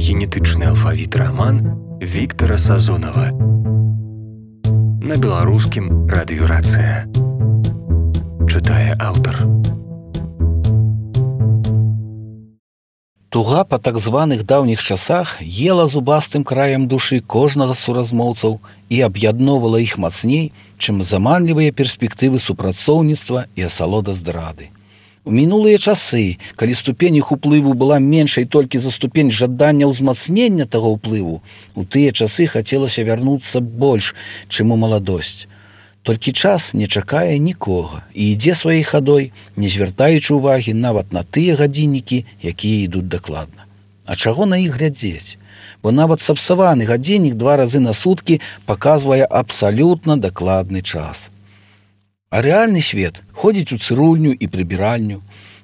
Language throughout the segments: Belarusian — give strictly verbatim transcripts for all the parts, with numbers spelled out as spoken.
генетычны алфавіт раман Віктара Сазонава. На беларускім радыёрацыя. Чытае аўтар. Туга па так званых даўніх часах ела зубастым краем душы кожнага з суразмоўцаў і аб'ядноўвала іх мацней, чым заманлівыя перспектывы супрацоўніцтва і асалода здрады. У мінулыя часы, калі ступень іх уплыву была меншай толькі за ступень жадання ўзмацнення таго ўплыву, у тыя часы хацелася вярнуцца больш, чым у маладосць. Толькі час не чакае нікога і ідзе сваёй хадой, не звяртаючы ўвагі нават на тыя гадзіннікі, якія ідуць дакладна. А чаго на іх глядзець? Бо нават сапсаваны гадзіннік два разы на суткі паказвае абсалютна дакладны час. А рэальны свет ходзіць у цырульню і прыбіральню,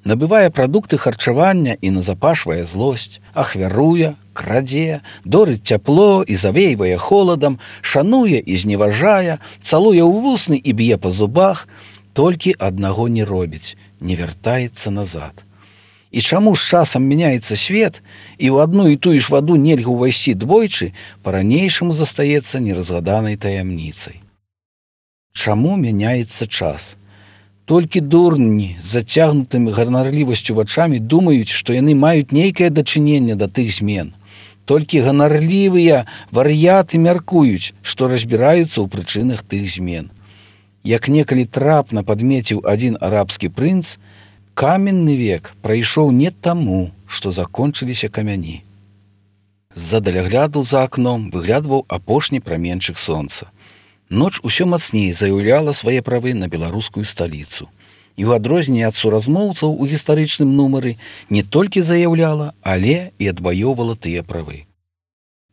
набывае прадукты харчавання і назапашвае злосць, ахвяруе, крадзе, дорыць цяпло і завейвае холадам, шануе і зневажае, цалуе ў вусны і б'е па зубах, толькі аднаго не робіць, не вяртаецца назад. І чаму з часам мяняецца свет, і ў адну і тую ж ваду нельга ўвайсці двойчы, па-ранейшаму застаецца неразгаданай таямніцай. Чаму мяняецца час? Толькі дурні з зацягнутымі ганарлівасцю вачамі думаюць, што яны маюць нейкае дачыненне да тых змен. Толькі ганарлівыя вар'яты мяркуюць, што разбіраюцца ў прычынах тых змен. Як некалі трапна падмеціў адзін арабскі прынц, каменны век прайшоў не таму, што закончыліся камяні. З-за далягляду за акном выглядваў апошні праменчык сонца. Ноч усё мацней заяўляла свае правы на беларускую сталіцу. І ў адрозненне ад суразмоўцаў у гістарычным нумары не толькі заяўляла, але і адваёўвала тыя правы.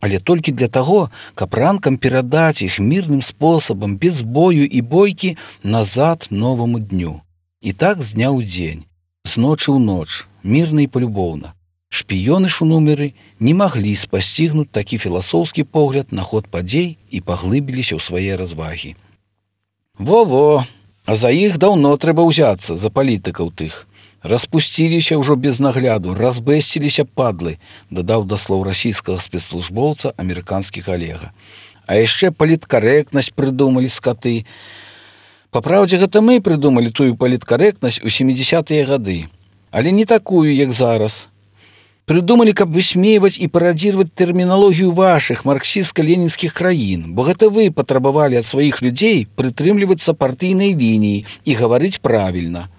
Але толькі для таго, каб ранкам перадаць іх мірным спосабам, без бою і бойкі, назад новаму дню. І так з дня ў дзень, з ночы ў ноч, мірна і палюбоўна. Шпіёны ж у нумеры не маглі спасцігнуць такі філасофскі погляд на ход падзей і паглыбіліся ў свае развагі. Во-во, а за іх даўно трэба ўзяцца, за палітыкаў тых. Распусціліся ўжо без нагляду, разбэсціліся падлы, дадаў да слоў расійскага спецслужбоўца амерыканскі калега. А яшчэ паліткарэктнасць прыдумалі скаты. Папраўдзе, гэта мы прыдумалі тую паліткарэктнасць у сямідзясятыя гады, але не такую, як зараз. Прыдумалі, каб высмейваць і парадзіраваць тэрміналогію вашых марксістска-ленінскіх краін, бо гэта вы патрабавалі ад сваіх людзей прытрымлівацца партыйнай лініі і гаварыць правільна.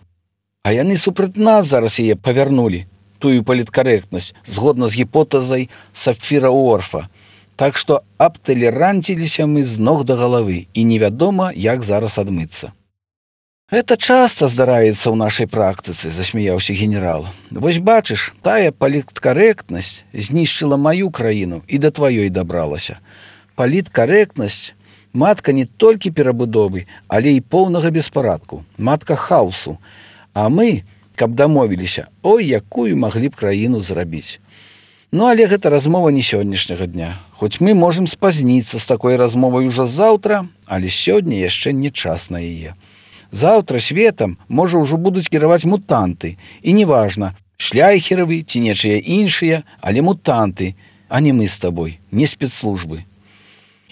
А яны супраць нас зараз яе павярнулі, тую паліткарэктнасць, згодна з гіпотэзай Сапфіра-Уорфа. Так што абталеранціліся мы з ног да галавы, і невядома, як зараз адмыцца. «Это часта здараецца ў нашай практыцы», – засмяяўся генерал. «Вось бачыш, тая паліткарэктнасць знішчыла маю краіну і да тваёй дабралася. Паліткарэктнасць – матка не толькі перабудовы, але і поўнага беспарадку, матка хаосу. А мы, каб дамовіліся, ой, якую маглі б краіну зрабіць. Ну, але гэта размова не сённяшняга дня. Хоць мы можам спазніцца з такой размовай ужо заўтра, але сёння яшчэ не час на яе. Заўтра светам, можа, ўжо будуць кіраваць мутанты. І неважна, шляйхеравы ці нечыя іншыя, але мутанты, а не мы з табой, не спецслужбы.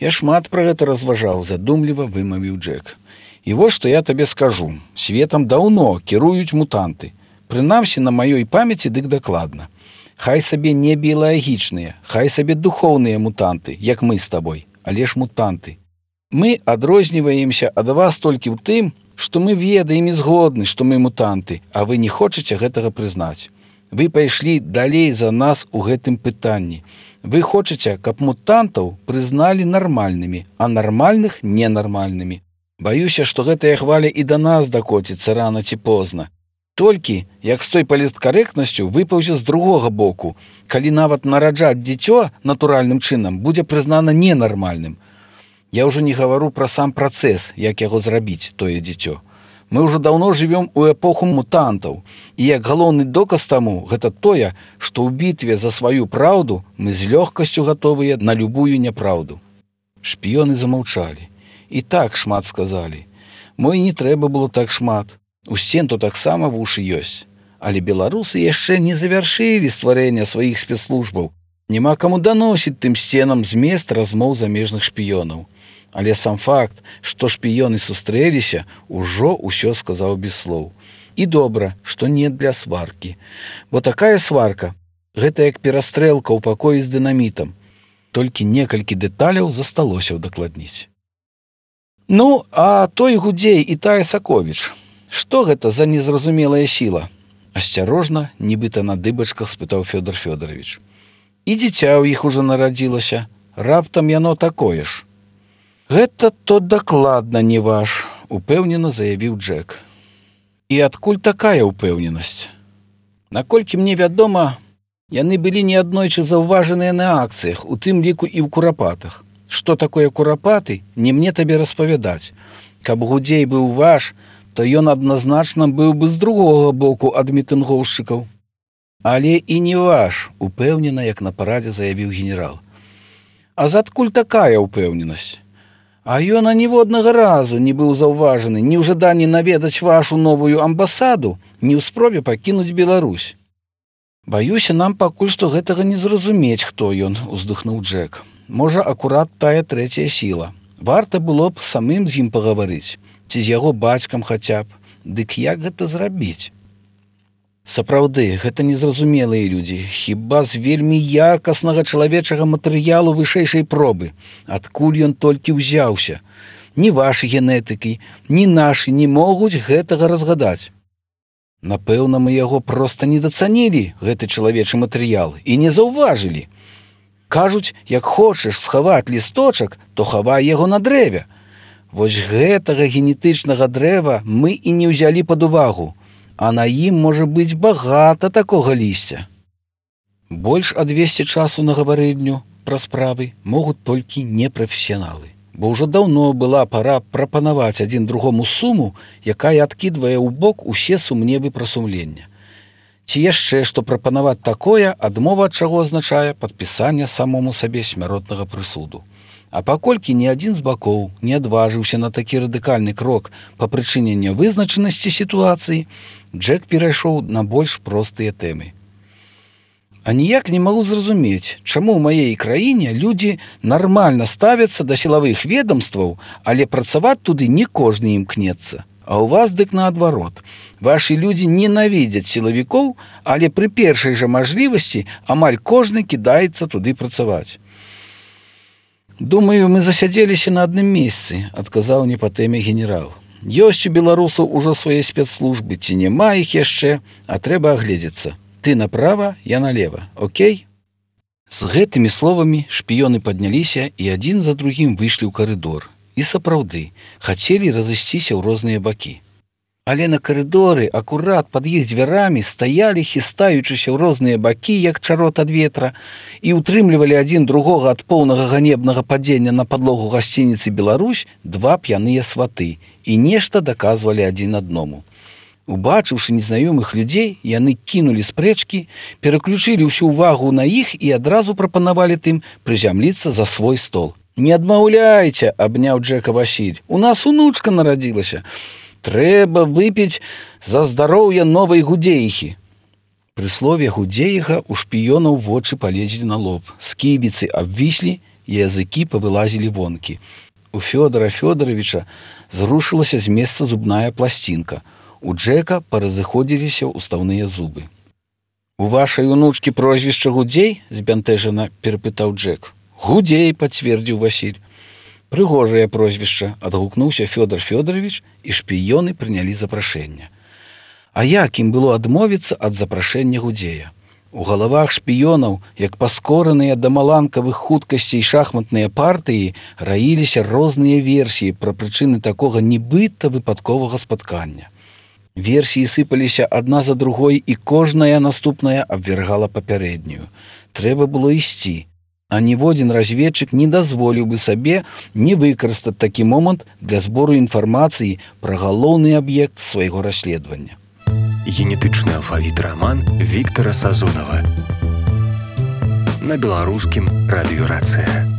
Я шмат пра гэта разважаў, задумліва вымавіў Джек. І вось што я табе скажу. Светам даўно кіруюць мутанты. Прынамсі, на маёй памяці дык дакладна. Хай сабе не біялагічныя, хай сабе духоўныя мутанты, як мы з табой, але ж мутанты. Мы адрозніваемся ад вас толькі ў тым, што мы ведаем і згодны, што мы мутанты, а вы не хочаце гэтага прызнаць. Вы пайшлі далей за нас у гэтым пытанні. Вы хочаце, каб мутантаў прызналі нармальнымі, а нармальных ненармальнымі. Баюся, што гэтая хваля і да нас дакоціцца рана ці позна. Толькі, як з той паліткарэктнасцю выпаўзе з другога боку, калі нават нараджаць дзіцё натуральным чынам будзе прызнана ненармальным. Я ўжо не гавару пра сам працэс, як яго зрабіць, тое дзіцё. Мы ўжо даўно жывём у эпоху мутантаў, і як галоўны доказ таму гэта тое, што ў бітве за сваю праўду мы з лёгкасцю гатовыя на любую няпраўду. Шпіёны замаўчалі. І так шмат сказалі. Мо і не трэба было так шмат. У сценту таксама вушы ёсць. Але беларусы яшчэ не завяршылі стварэння сваіх спецслужбаў, Няма каму даносіць тым сценам змест размоў замежных шпіёнаў. Але сам факт, што шпіёны сустрэліся, ужо ўсё сказаў без слоў. І добра, што не для сваркі. Бо такая сварка – гэта як перастрэлка ў пакоі з дынамітам. Толькі некалькі дэталяў засталося ўдакладніць. Ну, а той Гудзей і тая Саковіч. Што гэта за незразумелая сіла? Асцярожна, нібыта на дыбачках спытаў Фёдор Фёдорович. І дзіця ў іх ужо нарадзілася. Раптам яно такое ж. Гэта то дакладна не ваш, упэўнена заявіў Джек. І адкуль такая ўпэўненасць? Наколькі мне вядома, яны былі неаднойчы заўважаныя на акцыях, у тым ліку і ў курапатах. Што такое курапаты, не мне табе распавядаць. Каб Гудзей быў ваш, то ён адназначна быў бы з другога боку ад мітынгоўшчыкаў. Але і не ваш, упэўнена, як на парадзе заявіў генерал. А задкуль такая ўпэўненасць? А ён аніводнага разу не быў заўважаны ні ў жаданні наведаць вашу новую амбасаду, ні ў спробе пакінуць Беларусь. Баюся, нам пакуль што гэтага не зразумець, хто ён, уздыхнуў Джек. Можа, акурат тая трэцяя сіла. Варта было б самым з ім пагаварыць, ці з яго бацькам хаця б. Дык як гэта зрабіць? Сапраўды, гэта незразумелыя людзі, хіба з вельмі якаснага чалавечага матэрыялу вышэйшай пробы. Адкуль ён толькі ўзяўся? Ні вашы генетыкі, ні нашы не могуць гэтага разгадаць. Напэўна, мы яго проста недацанілі, гэты чалавечы матэрыял, і не заўважылі. Кажуць, як хочаш схаваць лісточак, то хавай яго на дрэве. Вось гэтага генетычнага дрэва мы і не ўзялі пад увагу. А на ім можа быць багата такога лісця. Больш адвесці часу на гаварыльню пра справы могуць толькі непрафесіяналы. Бо ўжо даўно была пара прапанаваць адзін другому суму, якая адкідвае ў бок усе сумневы пра сумлення. Ці яшчэ што прапанаваць такое, адмова ад чаго азначае падпісанне самому сабе смяротнага прысуду. А паколькі ні адзін з бакоў не адважыўся на такі радыкальны крок па прычыне нявызначанасці сітуацыі, Джек перайшоў на больш простыя тэмы. А ніяк не магу зразумець, чаму ў маей краіне людзі нармальна ставяцца да сілавых ведамстваў, але працаваць туды не кожны імкнецца. А ў вас дык наадварот. Вашы людзі ненавідзяць сілавікоў, але пры першай жа мажлівасці амаль кожны кідаецца туды працаваць. «Думаю, мы засядзеліся на адным месцы», – адказаў не па тэме генерал. «Ёсць у беларусаў ужо свае спецслужбы, ці няма іх яшчэ, а трэба агледзецца. Ты направа, я налева, окей?» З гэтымі словамі шпіёны падняліся і адзін за другім выйшлі ў карыдор. І сапраўды, хацелі разысціся ў розныя бакі. Але на карыдоры, акурат пад іх дзвярамі, стаялі, хістаючыся ў розныя бакі, як чарот ад ветра, і ўтрымлівалі адзін другога ад поўнага ганебнага падзення на падлогу гасцініцы «Беларусь» два п'яныя сваты і нешта даказвалі адзін адному. Убачыўшы незнаёмых людзей, яны кінулі спрэчкі, пераключылі ўсю ўвагу на іх і адразу прапанавалі тым прызямліцца за свой стол. «Не адмаўляйце», – абняў Джека Васіль, – «у нас унучка нарадзілася. Трэба выпіць за здароўе новай Гудзеіхі». Пры слове «Гудзеіха» у шпіёнаў вочы палезлі на лоб, сківіцы абвіслі, языкі павылазілі вонкі. У Фёдора Фёдоровича зрушылася з месца зубная пласцінка. У Джека паразыходзіліся ўстаўныя зубы. «У вашай унучкі прозвішча Гудзей?» – збянтэжана перапытаў Джек. «Гудзей», – пацвердзіў Васіль. «Прыгожае прозвішча», – адгукнуўся Фёдор Фёдорович, і шпіёны прынялі запрашэнне. А як ім было адмовіцца ад запрашэння Гудзея? У галавах шпіёнаў, як паскораныя да маланкавых хуткасцей шахматныя партыі, раіліся розныя версіі пра прычыны такога нібыта выпадковага спаткання. Версіі сыпаліся адна за другой, і кожная наступная абвяргала папярэднюю. Трэба было ісці. А ніводзін разведчык не дазволіў бы сабе не выкарыстаць такі момант для збору інфармацыі пра галоўны аб'ект свайго расследавання. Генетычны алфавіт раман Віктара Сазонава. На беларускім радыёрацыя.